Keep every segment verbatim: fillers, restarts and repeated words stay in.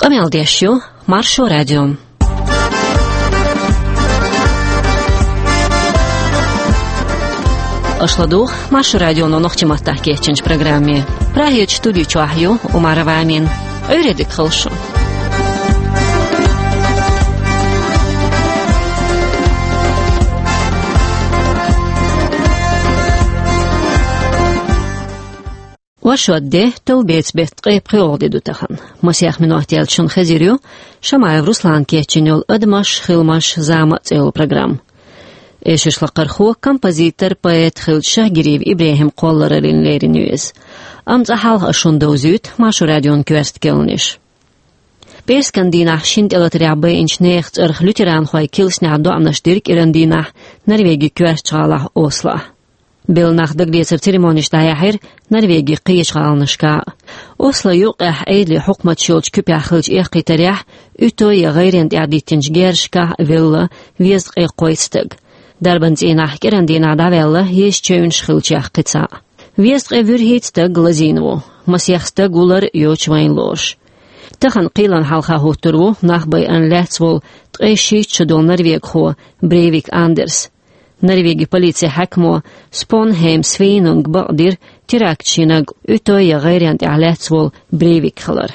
Къамел деш ю Маршо радио. Аша ладугӀу Маршо радионо нохчийн маттахь кечйинчу программе. Прагерчу студи чохь ю Умарова Амина. Ӏуьйре дика хуьлда шу. Оршот де, товбеца беттан ткъе пхоьалгӀа де ду тахана. Масех минот яьлча шуна хезар ю Шамаев Руслана кечйина йолу «Адамаш, хиламаш, зама» цӀе йолу программа. Эшарш лакхархо, композитор, поэт хиллачу Шахгириев ИбрахӀима кхоллараллина лерина ю иза. Амма цкъа хьалха аса шуна довзуьйту Маршо радион коьрта керланаш. ПӀераскан дийнахь шина тӀелатарехь байинчу нехан цӀарах лютеранхойн килсанехь доӀанаш дира кӀиран дийнахь Норвегин коьртачу гӀалахь Ослохь. Белла нах дагалецаран церемонеш дӀаяьхьира Норвегин кхечу гӀаланашкахь а. Осло юккъехь Ӏедалан хьукматаш йолчу куьпехь хиллачу эккхийтарехь, уьтту я гӀайренна тӀехь диттинчу герзашкахь велла везткъе кхойтта стаг. Дарбан цӀийнахь кӀиран дийнахь дӀаваьлла езачевнаш хиллачех кхин цхьаъ. Везткъе вуьрхӀитта стаг лазийна ву, масех стаг ву лар йоцуш вайна лоруш. Тахана кхелан хьалха хӀуттур ву нах байарна лаьцна волу ткъе шийтта шо долу норвегхо Брейвик Андерс. Норвегин полицин хьаькамо Спонхейм Свинунга бакъдира терактан шиннаг уьтту я гӀайренна тӀехь лаьцна волу Брейвик хилар.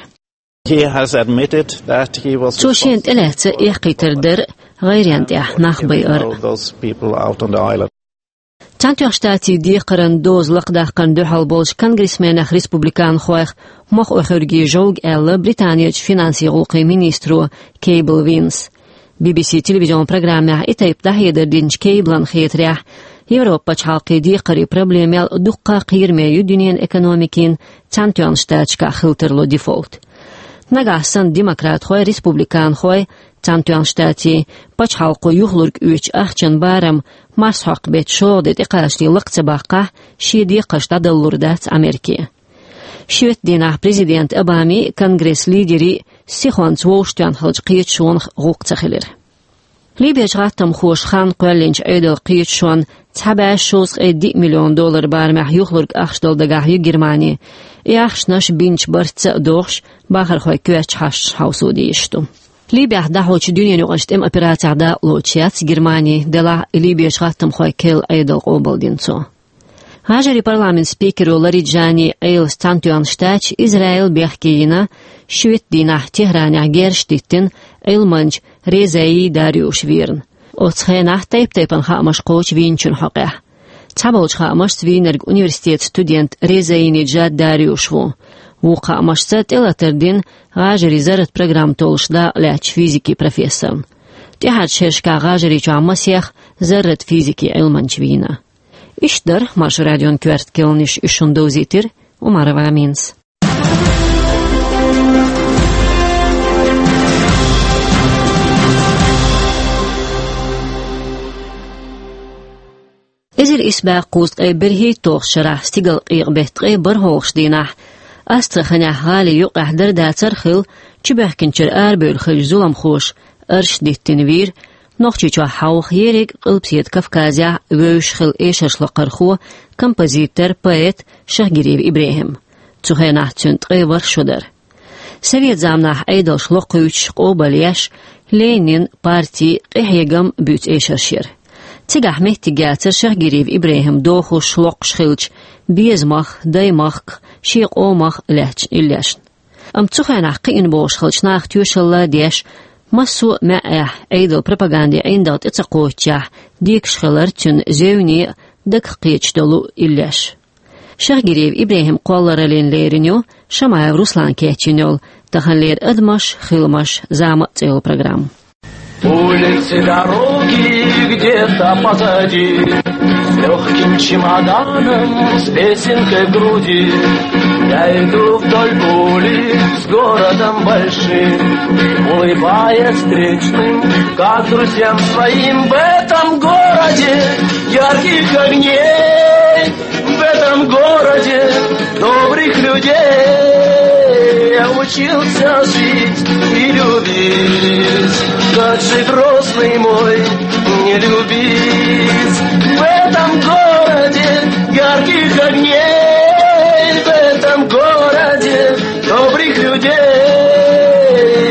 He has admitted that he was Цо шена тӀелаьцна эккхийтар дар а, гӀайренна тӀехь нах байар а. Those people out on the island. Цхьаьнатоьхначу Штатийн декхаран доза лакхадаккхарна дуьхьал болчу конгрессменех, республиканхойх мохь охьуьрге жовга аьлла Британерчу финансийн гӀуллакхийн министро Кейбл Винса. Би-би-си телевизион программехь и тайпа дӀахьедар динчу Кейблан хетарехь, Европан пачхьалкхийн декхарийн проблемел дуккха а кхераме ю дуьненан экономикин Цхьаьнатоьхначу Штаташкахь хила тарло дефолт. Нагахь санна демократхой, республиканхой Цхьаьнатоьхначу Штатийн пачхьалкхо юхалург оьцучу ахчан барам марсхьокху беттан шолгӀа де тӀекхачале лакха ца баккхахь, шен декхарш дӀадалалур дац Америке. Шоьтан дийнахь президент Обамин а, конгресс лидерийн а сихонца вовшахтоьхна хиллачу кхеташонах гӀуллакх ца хилира. Ливерчу гӀаттамхоша хан кхоьллинчу Ӏедалан кхеташонна цхьа бӀе шовзткъе диъ миллион доллар барамехь юхалург ахча дала дагахь ю Германи. И ахчанаш бинчу барца а дохуш, бахархойн коьртачу хьашташ хьовсо дезаш ду. Ливехь дӀахьочу дуьненаюкъарчу тӀеман операцехь дакъалоцуш яц Германи, делахь а Ливерчу гӀаттамхойн керла Ӏедал къобалдина цо. ГӀажарийн парламентан спикеро Лариджани Ӏелас Цхьаьнатоьхна Штаташ Израиле бехке йина, шоьтан дийнахь Техранехь герзаш диттина Ӏилманча Резаи Дариуш верна. Оцу хенахь тайп-тайпана хаамаш кхочу вийначун хьокъехь. Цхьаболчу хаамашца вийнарг университетан студент Резаи Неджад Дариуш ву. Вукху хаамашца тӀелатар дина гӀажарийн зарратан программа толлуш дакъа лаьцначу физикин профессорна. ТӀаьхьарчу шерашкахь ГӀажарийчохь масех зарратан физикин Ӏилманча вийна. Иштта дара Маршо радион коьрта керланаш, уьш шуна довзийтира Умарова Аминас. Эзар исс бӀе кхузткъе берхӀитталгӀачу шарахь стигалкъекъа беттан ткъе бархӀалгӀачу дийнахь Астраханехь гӀали юккъехь дара-дацара хилла чубоьхкинчуьра арабевлла хиллачу зуламхоша арш диттина вийра Нохчийчохь хьовха, ерриг а Къилбаседа Кавказехь вевзаш хилла эшарш лакхархо, композитор, поэт Шахгириев ИбрахӀим. Цу хенахь цуьнан ткъе ворхӀ шо дара. Совет заманахь Ӏедалша локхуьйтуш, къобалъеш, Ленин, парти, къинхьегам буьйцу эшарш яра. Цигахь меттиг яцара Шахгириев ИбрахӀим дохуш, локхуш хиллачу безамах, даймахках, шен къомах лаьттачу иллешна. Амма цу хенахь кхиъна бохуш хиллачу наха тоьшалла а деш, массо а маьӀӀехь Ӏедалан пропагандин ӀиндагӀ тӀе ца кхоччехь, декаш хилар цуьнан зевне а, дагах кхеташ долу иллеш. Шахгириев ИбрахӀима кхоллараллина лерина ю Шамаев Руслана кечйина йолу таханлера «Адамаш, хиламаш, зама» цӀе йолу программа. Улицы, дороги где-то позади, с лёгким чемоданом, с песенкой в груди. Я иду вдоль улиц с городом большим, улыбаясь встречным, как друзьям своим. В этом городе ярких огней, в этом городе добрых людей я учился жить и любить. Как же Грозный мой не любить? В этом городе ярких огней, в этом городе добрых людей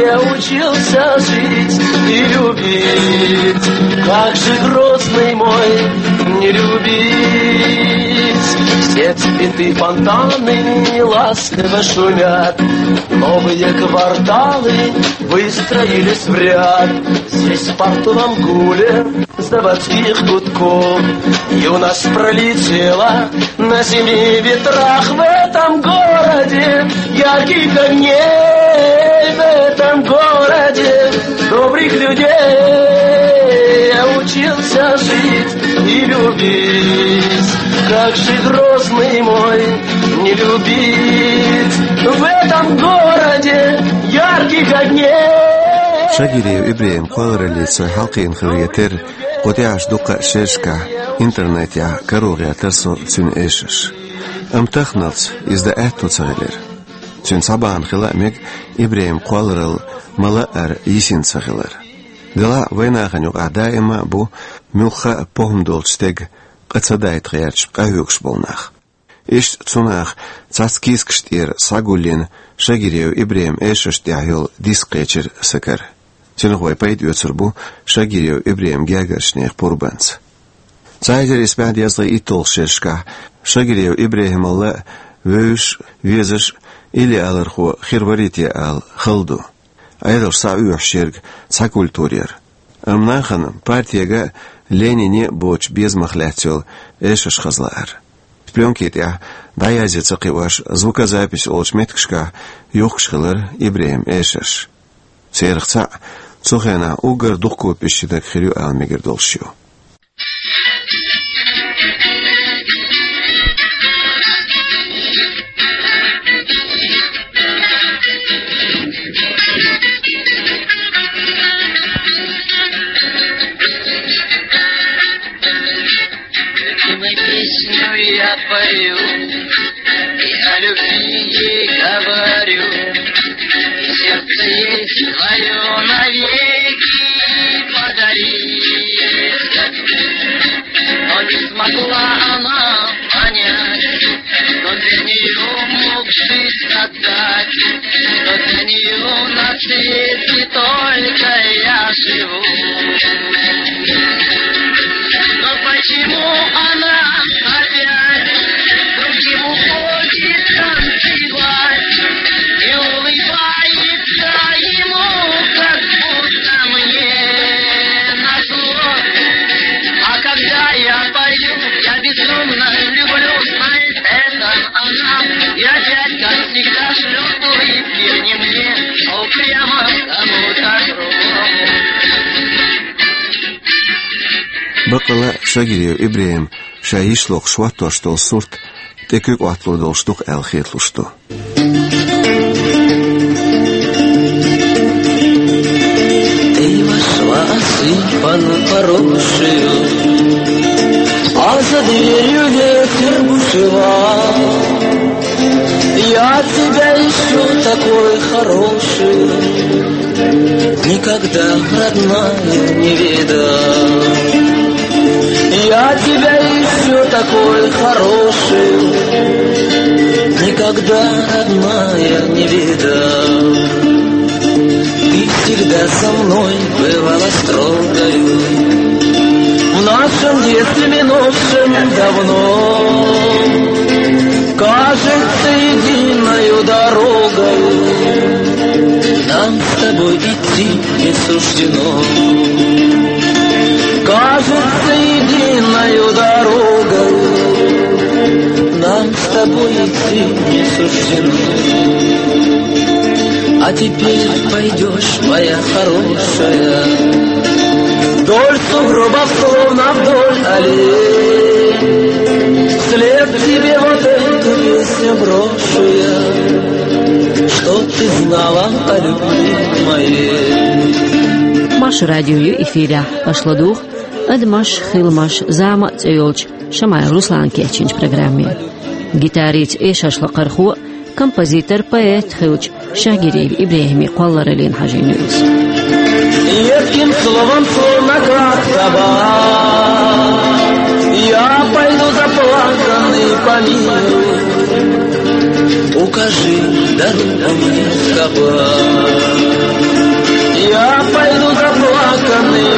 Как же, Грозный мой, не любить? Все цветы, фонтаны ласково шумят. Новые кварталы выстроились в ряд. Здесь, в портовом гуле заводских гудков, юность пролетела на семи ветрах. В этом городе ярких огней, в этом городе добрых людей я учился жить и любить. Как же, Грозный мой, не любить? В этом городе ярких огней. Шагириев Ибрахьима кхоллараллица хьалкхийна хиларе терра, кху тӀехьарча дуккха а шерашкахь, интернетехь каро гӀертар со цуьнан эшарш. Амма таханалц иза дан аьтто ца хилира. Цуьнан цхьа бахьана хила а мега Ибрахьима кхолларалла ма-лаара йисина ца хилар. Делахь а вайнахана юкъахь даима а бу муьлхха а похӀма долчу стеган къа ца дайта гӀерташ къахьоьгуш болу нах. Иштта цу наха цхьацца кийсакаш тӀера схьагулйина Шагириев Ибрахьиман эшаршна тӀехь йолу диск кхечира сан кара. Цунах вай пайда оьцур бу Шагириев Ибрахьиман гергарчу нехан пурбанца. Цхьа эзар исс бӀе дезткъе итталгӀачу шерашкахь Шагириев Ибрахьималла а вевзаш а, везаш а илли-алархо хир варий те ала хала ду. Ӏедалша схьаоьхуш ерг цхьа культура яра. Амма нахана партега а, Ленине а боцуш безамах лаьцна йолу эшарш хаза лаара. Плёнки тӀехь дӀаязъян ца кхиош, звукозапись олучу меттигашкахь юхкуш хилира Ибрахьиман эшарш. Церах цхьаъ цу хенахь уггар дукха копиш йинарг хир ю ала мегар долуш ю. Любимой песню я пою и о любви говорю, и сердце ей своё навеки подарить. Но не смогла она понять, что для неё мог жизнь отдать, что для неё на свете только я живу. Но почему она опять вдруг уходит танцевать и улыбается ему, как будто мне назло? А когда я пою, я безумно люблю, знает это она. И опять, как всегда, шлёт улыбки не мне, а упрямо кому-то другому. Баккъала а Шагириев Ибрахьима ша йиш локхуш хӀоттош долу сурт тӀе куьг Ӏотталур долуш ду-кх аьлла хеталуш ду. Ты вошла осыпанно поросшую, а за дверью ветер бушевал. Я тебя ищу, такой хорошую, никогда, родная, не видал. Я тебя ищу, такой хорошую, никогда, родная, не видал. Ты всегда со мной бывала строгою, в нашем детстве минувшем давно. Кажется, единою дорогою нам с тобой идти не суждено. Кажется, единою дорогою нам с тобой идти не суждено. А теперь пойдёшь, моя хорошая, вдоль сугробов, словно вдоль аллей. Вслед тебе вот эту песню брошу я, чтоб ты знала о любви моей. Маршо радио ю эфирехь, аша ладугӀу «Адамаш, хиламаш, зама» цӀе йолчу Шамаев Руслана кечйинчу программе. Гитарица, эшаршлакхархо а, композитор, поэт а хилча, Шагириев Ибрахьиман кхоллараллина хьажийна ю иза. Едким словом, словно как собак, я пойду заплаканный по миру. Укажи дорогу мне в кабак. Я пойду заплаканный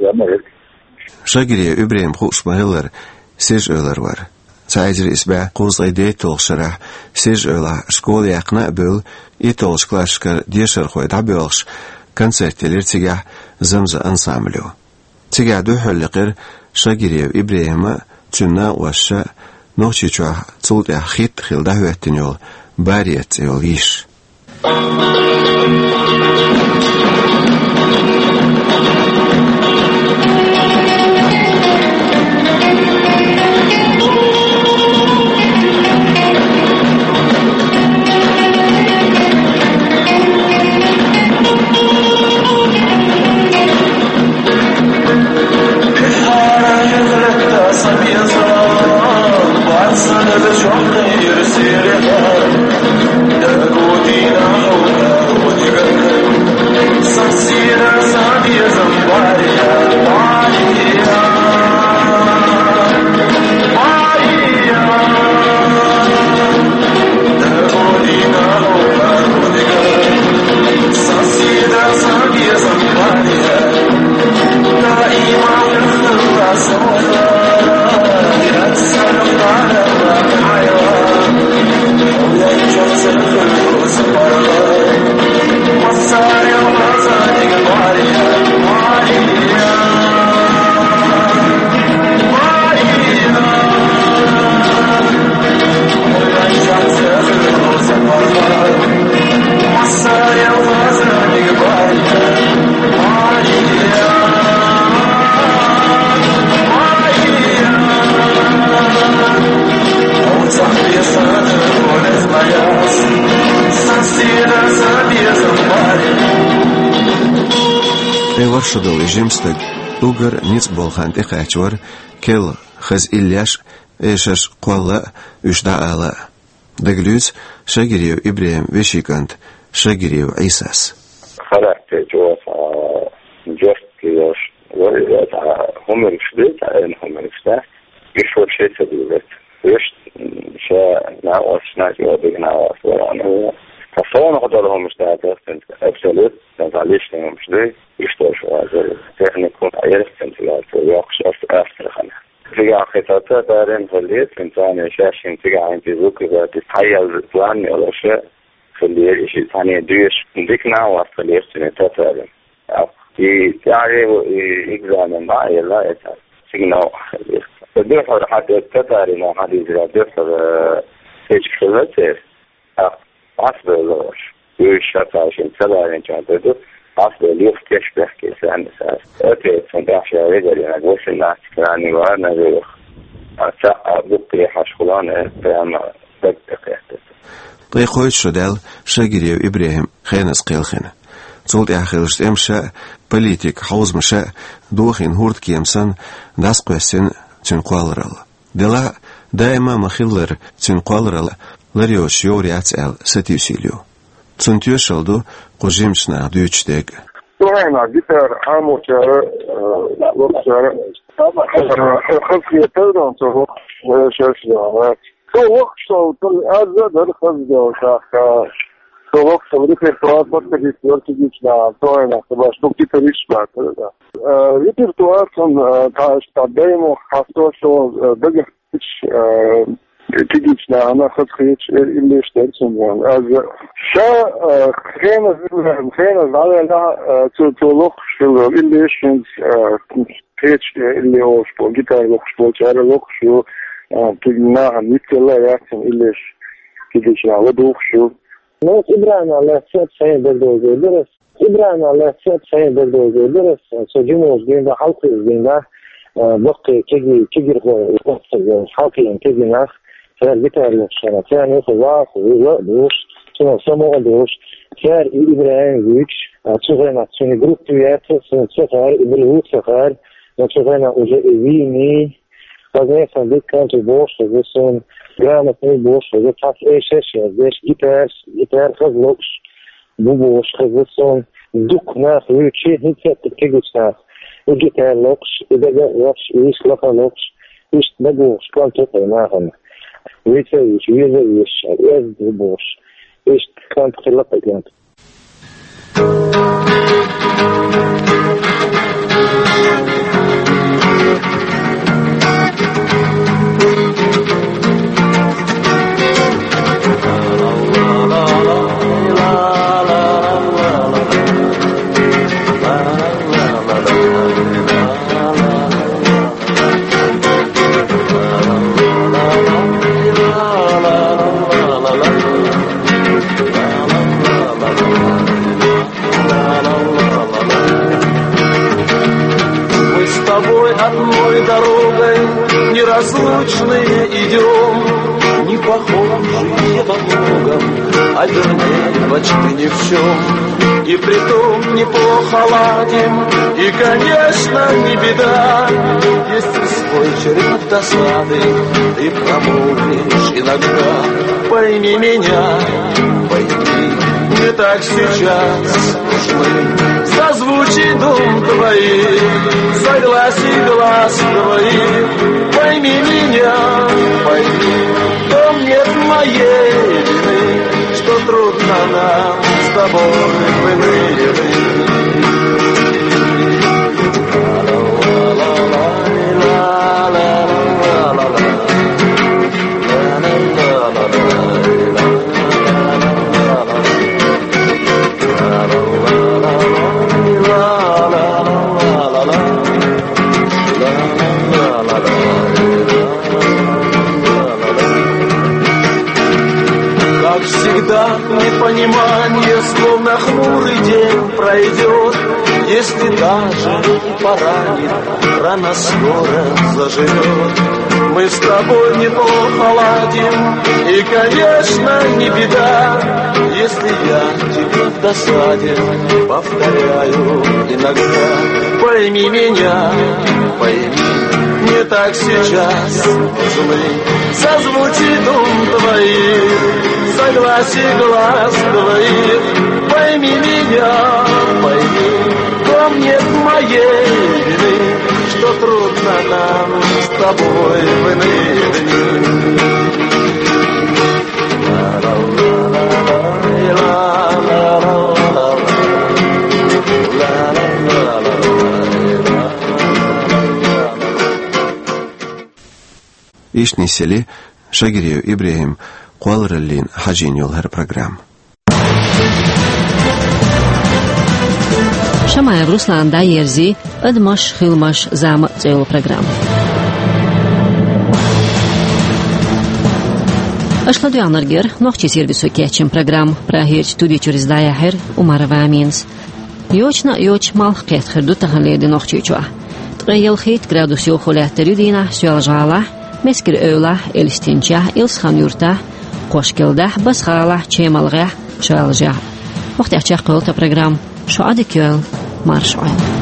еза ма яц. Шагириев ИбрахӀима хууш ма хиллара, Сиржа-Эвлара вар. Цхьа эзар исс бӀаь кхузткъе дейтталгӀача шарахь Сиржа-Эвлахь школа яьккхина а бевлла, итталгӀачу классашкара дешархой дӀабоьлхуш, концерт елира цигахь «Замза» ансамбло. Цигахь дуьххьарлакхара Шагириев ИбрахӀима а, цуьнан накъосташа а, Нохчийчохь цул тӀаьхьа хит а хилла дӀахӀоьттина йолу «Барет» цӀе йолу йиш. Ткъе ворхӀ шо долу и жима стаг уггар ницкъ болу хан тӀекхаьчна вара, керла хаза иллеш а, эшарш кхолла а, уьш дӀаала а. Дагалуьйцу Шагириев ИбрахӀиман вешин кӀанта Шагириев Ӏийсас. Характер чӀогӀа цхьа жёсткий йолуш вара, цхьа хӀуманаш ду, цхьа айна хӀуманаш ду. Уьш вообще ца дуьйлура. Уьш ша накъосташна чӀогӀа дика накъост вара. Ну, цхьа совнаха долу хӀуманаш дац, абсолютно, цхьа личный хӀуманаш ду. Уьш долуш вара, техникум Ӏерасканца яц, йоккхуш ас астрахана. Цигахь кхин цхьа татарин хиллера, цуьнан царна шаьш шина цигахь хӀинца иза вукхуза, иза хьаелла план йолуш хиллера, и шиъ цхьаьна доьшуш, дика накъост хиллера цуьнан татарин. И тӀаьхье и экзамен дӀа а елла, и цхьа сигнал хиллера. Дуьххьара хьан татарина хьан дийзира, дуьххьара кечиг хилла церан. ТӀаккха Ӏасбевлла уьш. Уьш ша цхьа шина ца ларинчохь ду, Ӏасбевлла юха кечбехке санна сара. Оцецан тӀаьхьа ша вегаренаг васиннахьа ранний вара нажуьйх. А цхьаъ а буккъе хьаш хулана прямо даг тӀекхеттара. Ткъе кхойтта шо даьлла Шагириев ИбрахӀим хеназа кхелхина. Цул тӀаьхьа хиллачу тӀемаша а, политикан хьовзамаша а дохийна хӀордан кема санна дӀасакхоьссина цуьнан кхолларалла. Делахь а, даима а ма-хиллара, цуьнан кхолларалла лар йоцуш йовр яц аьлла сатуьйсийла ю. Цунна тоьшалла ду кху жимачу наха дуьйцуш дерг а. Цу хенахь гитара хьамочара, э, локхучара, э, хазахетар ду цо локхуш, э, шаьш а. Цо локхуш, со, аз а дара хаза делла, тӀаккха, э, цо локхуш репертуар подходить вара кегийчу наха, цу хенахь со баш ду гитарист бац, да. Э, репертуар цуьнан, э, тхьа, тхьа даймох хьасто шо, э, дага Э, кегийчу нахана хазахеташ, э, иллеш дара цуьнан. Аз ша, э, хенаш, хенаш дӀавеллехь, э, цо, цо локхуш хилла иллеш, хӀинца, э, кхечу, э, иллеш олуш болу, гитара локхуш болчара локхуш ю, э, кегий нахана ницкъ а яц цуьнан иллеш кегийчу наха ладугӀуш ю. Ну, ИбрахӀима лаьцна сайн дагадовзар дара. ИбрахӀима лаьцна сайн дагадовзар дара, со жималаш дийна, хьалкхуьйсуш дийна, а, баккхий кеги-, кегирхой, хьалкхиъна кегий нах, цара гитара локхуш хилла, царна юха ваха, вуьйла а дугӀуш, цунах самукъа а дугӀуш, цара и ИбрахӀим вуьйцуш, а, цу хенахь цуьнан группа яц, цуьнан ца хаьара, и билггал ца хаьара, но цу хенахь уже и вийний, хаза, сан дика кантор бохуш хеза суна, грамотный бохуш хеза, цхьацца эшарш яздеш, гитараш, гитара хаза локхуш бу бохуш хеза суна. Дукха нах вуьйцу, хӀинца а кегийчу наха. И гитара локхуш, и дага а локхуш, и йист лаха а локхуш, иштта дагавогӀуш кантор ю нахана. Вуьйца а вуьйцуш, веза а везаш, эза ду бохуш. Иштта кантор хилла кхин кантор. Мы с тобой одной дорогой неразлучные идём, не похожие во многом, а вернее почти ни в чём. И притом неплохо ладим, и, конечно, не беда, если свой черед досады ты промолвишь иногда. Пойми меня, пойми, мне так сейчас нужны созвучий дум твоих, согласий глаз твоих. Пойми меня, пойми, в том нет моей вины, что трудно нам с тобой в иные дни. Как всегда, непонимание, словно хмурый день пройдёт, если даже и поранит, рана скоро заживёт. Мы с тобой неплохо ладим, и, конечно, не беда, если я тебе в досаде повторяю иногда. Пойми меня, пойми, мне так сейчас нужны созвучий дум твоих, согласий глаз твоих. Пойми меня, пойми, в том нет моей вины, что трудно нам с тобой в иные дни. Иштта нисъелира Шагириев ИбрахӀим кхоллараллина хьажийна йолу хӀара программа. Шамаев Руслана дӀаерзий «Адамаш, хиламаш, зама» цӀе йолу программа. Аша ладоьгӀнарг яра нохчийн сервисо кечйина программа. Прагерчу студи чуьра иза дӀаяьхьира Умарова Аминас. Йочана а йоцуш малх кхетта хир ду тахана лерина Нохчийчохь. Ткъе ялхитта градус йовхо лаьттар ю дийнахь Соьлжа-ГӀалахь, Мискара-Эвлахь, Элистинчехь, Илсхан-Юьртахь, Кошкелдахь, Басха-ГӀалахь, Чемалгахь, Шаьлжехь. ХӀокху тӀехь чекхйолу тхан программа. Шун Ӏадика йойла, марша Ӏойла.